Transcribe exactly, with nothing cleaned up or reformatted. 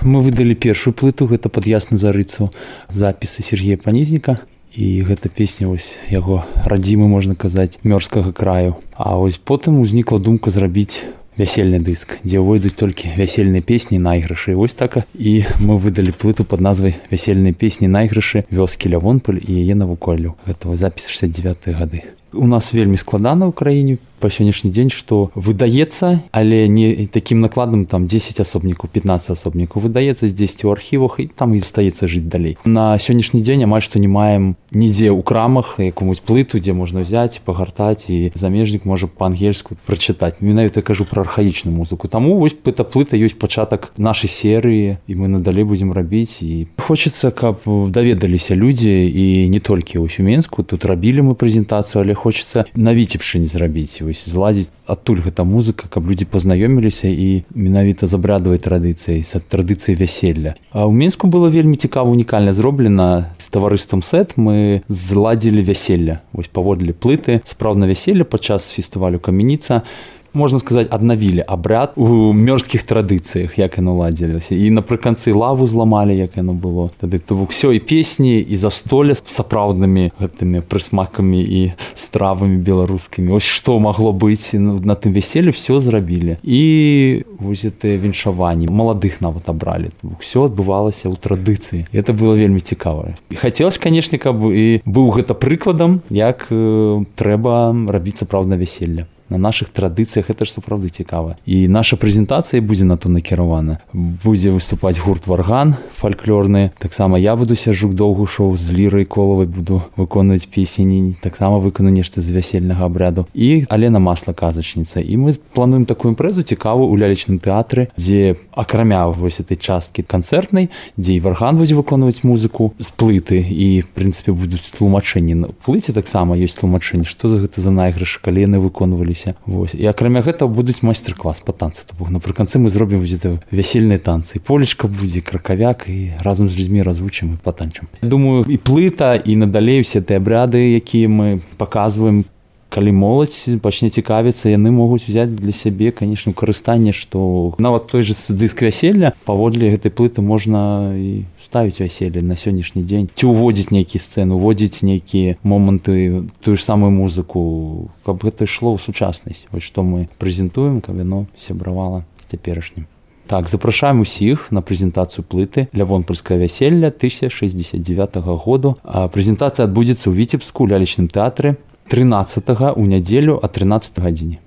Мы выдалі першую плыту, гэта пад ясную зарыцу, запісы Сергея Панізніка. І гэта песня вось яго радзімы, можна казаць, мёрзкага краю. А вось потым узнікла думка зрабіць вясельны дыск, дзе ўвойдуць толькі вясельныя песні, найгрышы. Вось так і мы выдалі плыту пад назвай «Вясельныя песні, найгрышы вёскі Лявонполь і яе навуколлю». Гэта запіс шэсцьдзесят дзевятыя гады. У нас вельмі складана ў краіне па сённяшні дзень, што выдаецца, але не такім накладам, там дзесяць асобнікаў, пятнаццаць асобнікаў выдаецца здзесьці ў архівах, і там і застаецца жыць далей. На сённяшні дзень амаль што не маем нідзе ў крамах якую-нибудь плыту, дзе можна ўзяць, пагартаць, і замежнік можа па-ангельску прачытаць. Менавіта я кажу пра архаічную музыку. Таму вось эта плыта ёсць пачатак нашай серыі, і мы надалей будзем рабіць. І хочацца, каб даведаліся людзі, і не толькі ў Менску, тут рабілі мы прэзентацыю, але хочацца на Віцебшчыне зрабіць, зладзіць адтуль гэта музыка, каб людзі пазнаёміліся і менавіта з абрадавай традыцыяй, з традыцыяй вяселля. А ў Менску было вельмі цікава, унікальна зроблена з таварыствам Сэт. Мы зладзілі вяселля. Вось паводле плыты сапраўдна вяселля падчас фестывалю Каменіца. Можна сказаць, аднавілі абряд у мёрзкіх традыцыях, як яно ладзілася. І напрыканцы лаву зламалі, як яно было. Тады то бок усё, і песні, і застолле з сапраўднымі гэтымі прысмакамі і стравамі беларускімі. Вось што магло быць на тым вяселлі, ўсё зрабілі. І вось гэтыя віншаванні, маладых нават абралі. Усё адбывалася ў традыцыі. Гэта было вельмі цікава. І хацелася, канешне, каб і быў гэта прыкладам, як э, трэба рабіць сапраўдна вяселля. На нашых традыцыях гэта ж сапраўды цікава. І наша прэзентацыя будзе на то накіравана. Будзе выступаць гурт «Варган» фальклорны. Таксама я буду Сяржук Доўгушоў з Лірай Колавай буду выконваць песні. Таксама выкану нешта з вясельнага абряду. І Алена Масла, казачніца. І мы плануем такую імпрэзу цікавую ў лялечным тэатры, дзе акрамя вось этой часткі канцэртнай, дзе і «Варган» будзе выконваць музыку з плыты. І, в прынцыпе, будуць тлумачэнні. На плыце таксама ёсць тлумачэнні, што за гэта за найгрышы, калі яны выконваліся. Вось. І акрамя гэта будуць майстар-клас па танцы. То бок напрыканцы мы зробім вясельныя танцы. Полечка будзе, кракавяк, і разам з людзьмі развучым і патанчым. Думаю, і плыта, і надалей усе тыя абряды, якія мы паказваем, калі моладзь пачне цікавіцца, яны могуць узяць для сябе, канешне, карыстанне, што нават той жа дыск вяселля паводле гэтай плыты можна і ставіць вяселле на сённяшні дзень, ці ўводзіць нейкія сцэны, уводзіць нейкія моманты, тую ж самую музыку, каб гэта ішло ў сучаснасць. Вось што мы прэзентуем, каб яно сябравала з цяперашнім. Так, запрашаем усіх на прэзентацыю плыты «Лявонпольскае вяселля» тысяча шэсцьдзесят дзевятага году. А прэзентацыя адбудзецца ў Віцебску ў лялечным тэатры трынаццатага ў нядзелю о трынаццатай гадзіне.